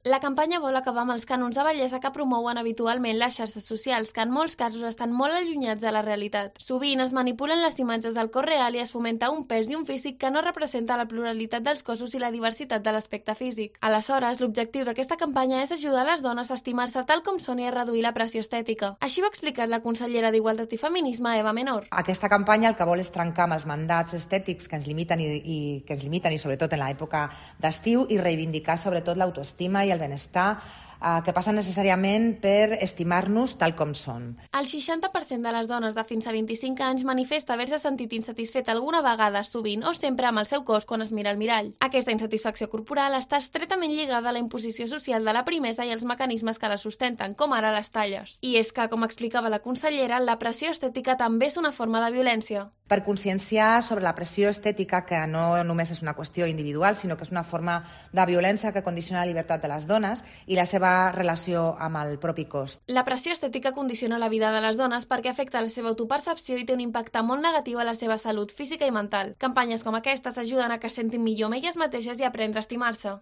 La campanya vol acabar amb els cànons de bellesa que promouen habitualment les xarxes socials, que en molts casos estan molt allunyats de la realitat. Sovint es manipulen les imatges del cos real i es fomenta un pes i un físic que no representa la pluralitat dels cossos i la diversitat de l'aspecte físic. Aleshores, l'objectiu d'aquesta campanya és ajudar les dones a estimar-se tal com són i a reduir la pressió estètica. Així ho ha explicat la consellera d'Igualtat i Feminisme, Eva Menor. Aquesta campanya el que vol és trencar amb els mandats estètics que ens limiten i sobretot en l'època d'estiu, i reivindicar sobretot l'autoestima i el benestar que passa necessàriament per estimar-nos tal com som. El 60% de les dones de fins a 25 anys manifesta haver-se sentit insatisfet alguna vegada, sovint o sempre amb el seu cos quan es mira al mirall. Aquesta insatisfacció corporal està estretament lligada a la imposició social de la primesa i els mecanismes que la sustenten, com ara les talles. I és que, com explicava la consellera, la pressió estètica també és una forma de violència. Per conscienciar sobre la pressió estètica, que no només és una qüestió individual, sinó que és una forma de violència que condiciona la llibertat de les dones i la seva relació amb el propi cos. La pressió estètica condiciona la vida de les dones perquè afecta la seva autopercepció i té un impacte molt negatiu a la seva salut física i mental. Campanyes com aquestes ajuden a que es sentin millor amb elles mateixes i a aprendre a estimar-se.